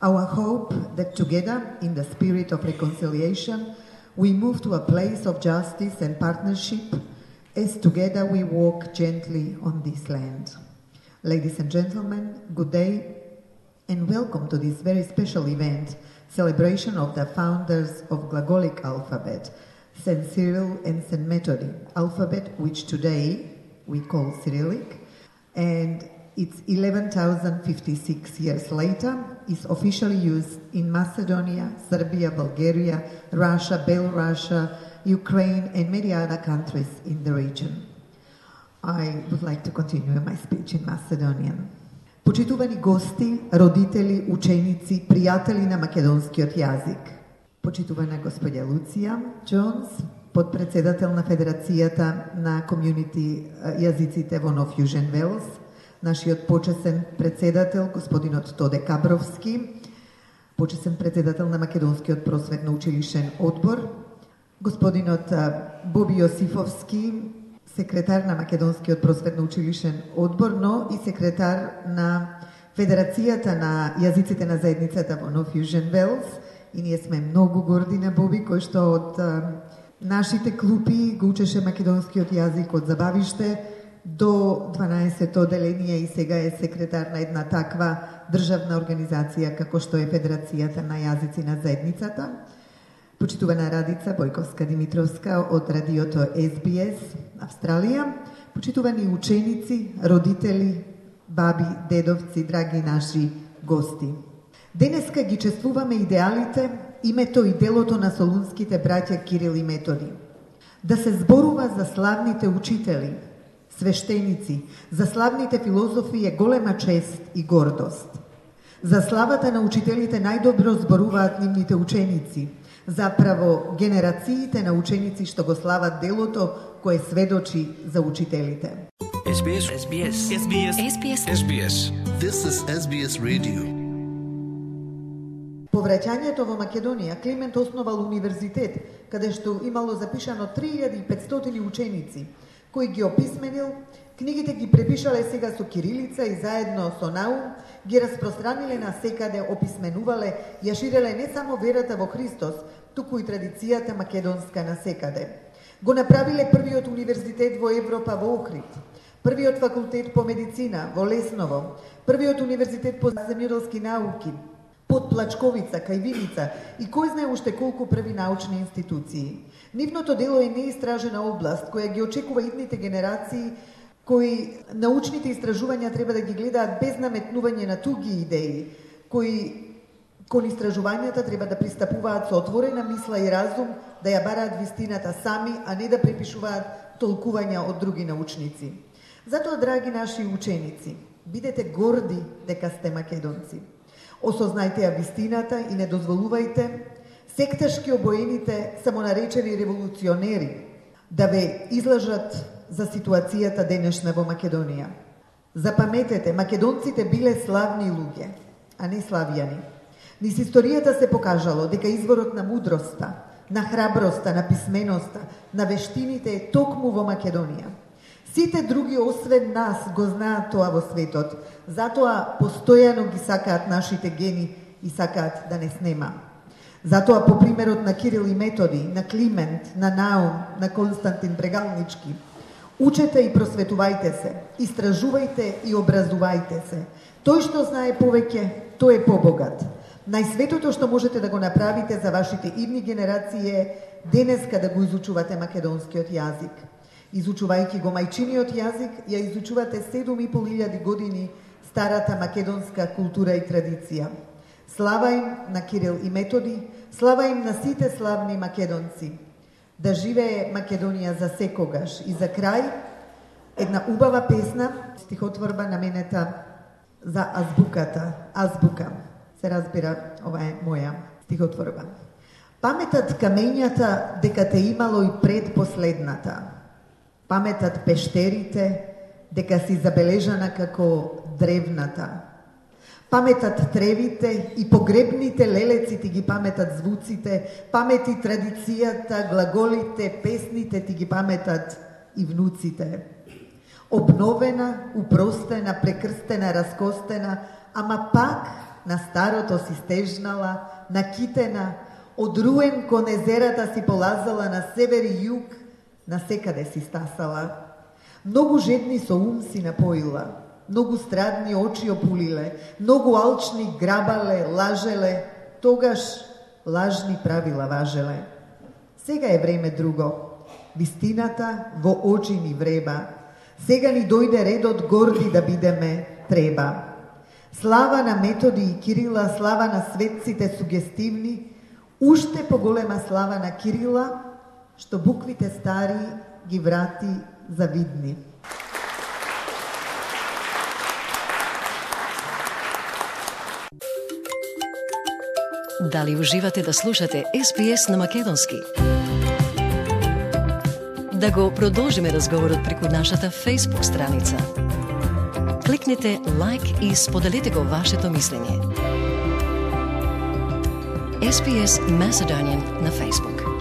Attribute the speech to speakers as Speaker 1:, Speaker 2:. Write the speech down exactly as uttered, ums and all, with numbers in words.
Speaker 1: Our hope that together, in the spirit of reconciliation, we move to a place of justice and partnership as together we walk gently on this land. Ladies and gentlemen, good day and welcome to this very special event, celebration of the founders of Glagolic alphabet, Saint Cyril and Saint Methody alphabet, which today we call Cyrillic, and it's eleven thousand fifty-six years later, is officially used in Macedonia, Serbia, Bulgaria, Russia, Belarus, Ukraine, and many other countries in the region. I would like to continue my speech in Macedonian. Почитувани гости, родители, ученици, пријатели на македонскиот јазик. Почитувана господја Луција Джонс, подпредседател на Федерацијата на комјунити јазиците во Нов Јужен Велс, нашиот почесен председател, господинот Тоде Кабровски, почесен председател на Македонскиот просветно училишен одбор, господинот Боби Јосифовски, секретар на Македонскиот просветно училишен одбор, но и секретар на Федерацијата на јазиците на заедницата во Нов Јужен Велс. И ние сме многу горди на Боби, кој што од нашите клупи го учеше македонскиот јазик од забавиште до дванаесетто оделение и сега е секретар на една таква државна организација како што е Федерацијата на јазици на заедницата. Почитувана Радица Бојковска-Димитровска од радиото Ес Би Ес Австралија, почитувани ученици, родители, баби, дедовци, драги наши гости. Денеска ги чествуваме идеалите, името и делото на солунските браќа Кирил и Методи. Да се зборува за славните учители, свештеници, за славните филозофи е голема чест и гордост. За славата на учителите најдобро зборуваат нивните ученици, заправо генерациите на ученици што го слават делото кое сведочи за учителите.
Speaker 2: Ес Би Ес. Ес Би Ес. Ес Би Ес. Ес Би Ес. Ес Би Ес. This is Ес Би Ес Radio.
Speaker 1: По враќањето во Македонија, Климент основал универзитет, каде што имало запишано три илјади и петстотини ученици, кој ги описменил, книгите ги препишале сега со кирилица и заедно со наум ги распространиле на секаде, описменувале, ја ширеле не само верата во Христос, туку и традицијата македонска на секаде. Го направиле првиот универзитет во Европа во Охрид, првиот факултет по медицина во Лесново, првиот универзитет по земјоделски науки, под Плачковица, кај Виница и кој знае уште колку први научни институции. Нивното дело е неистражена област, која ги очекува идните генерации, кои научните истражувања треба да ги гледаат без наметнување на туги идеи, кои кон истражувањата треба да пристапуваат со отворена мисла и разум, да ја бараат вистината сами, а не да препишуваат толкувања од други научници. Затоа, драги наши ученици, бидете горди дека сте македонци. Осознајте ја вистината и не дозволувајте секташки обоените самонаречени револуционери да ве излажат за ситуацијата денешна во Македонија. Запаметете, македонците биле славни луѓе, а не славјани. Низ историјата се покажало дека изворот на мудроста, на храброста, на писменоста, на вештините е токму во Македонија. Сите други освен нас го знаат тоа во светот, затоа постојано ги сакаат нашите гени и сакаат да не снема. Затоа по примерот на Кирил и Методи, на Климент, на Наум, на Константин Брегалнички, учете и просветувајте се, истражувајте и образувајте се. Тој што знае повеќе, тој е побогат. Најсветото што можете да го направите за вашите идни генерации е денеска да го изучувате македонскиот јазик. Изучувајќи го мајчиниот јазик, ја изучувате седум и пол илјади години старата македонска култура и традиција. Слава им на Кирил и Методи, слава им на сите славни македонци. Да живее Македонија за секогаш. И за крај, една убава песна, стихотворба наменета за азбуката. Азбука. Се разбира, ова е моја стихотворба. Паметат камењата дека те имало и пред последната. Паметат пештерите дека си забележана како древната. Паметат тревите и погребните лелеци ти ги паметат звуците, памети традицијата, глаголите, песните ти ги паметат и внуците. Обновена, упростена, прекрстена, раскостена, ама пак на старото си стежнала, на китена, од Руен кон езерата си полазала, на север и југ, на секаде си стасала. Многу жедни со ум си напоила, многу страдни очи опулиле, многу алчни грабале, лажеле, тогаш лажни правила важеле. Сега е време друго. Вистината во очи ни вреба. Сега ни дојде редот горди да бидеме треба. Слава на Методи и Кирила, слава на светците сугестивни, уште поголема слава на Кирила, што буквите стари ги врати завидни.
Speaker 3: Дали уживате да слушате Ес Би Ес на македонски? Да го продолжиме разговорот преку нашата Facebook страница. Кликнете лайк и споделете го вашето мислење. Ес Би Ес Macedonian на Facebook.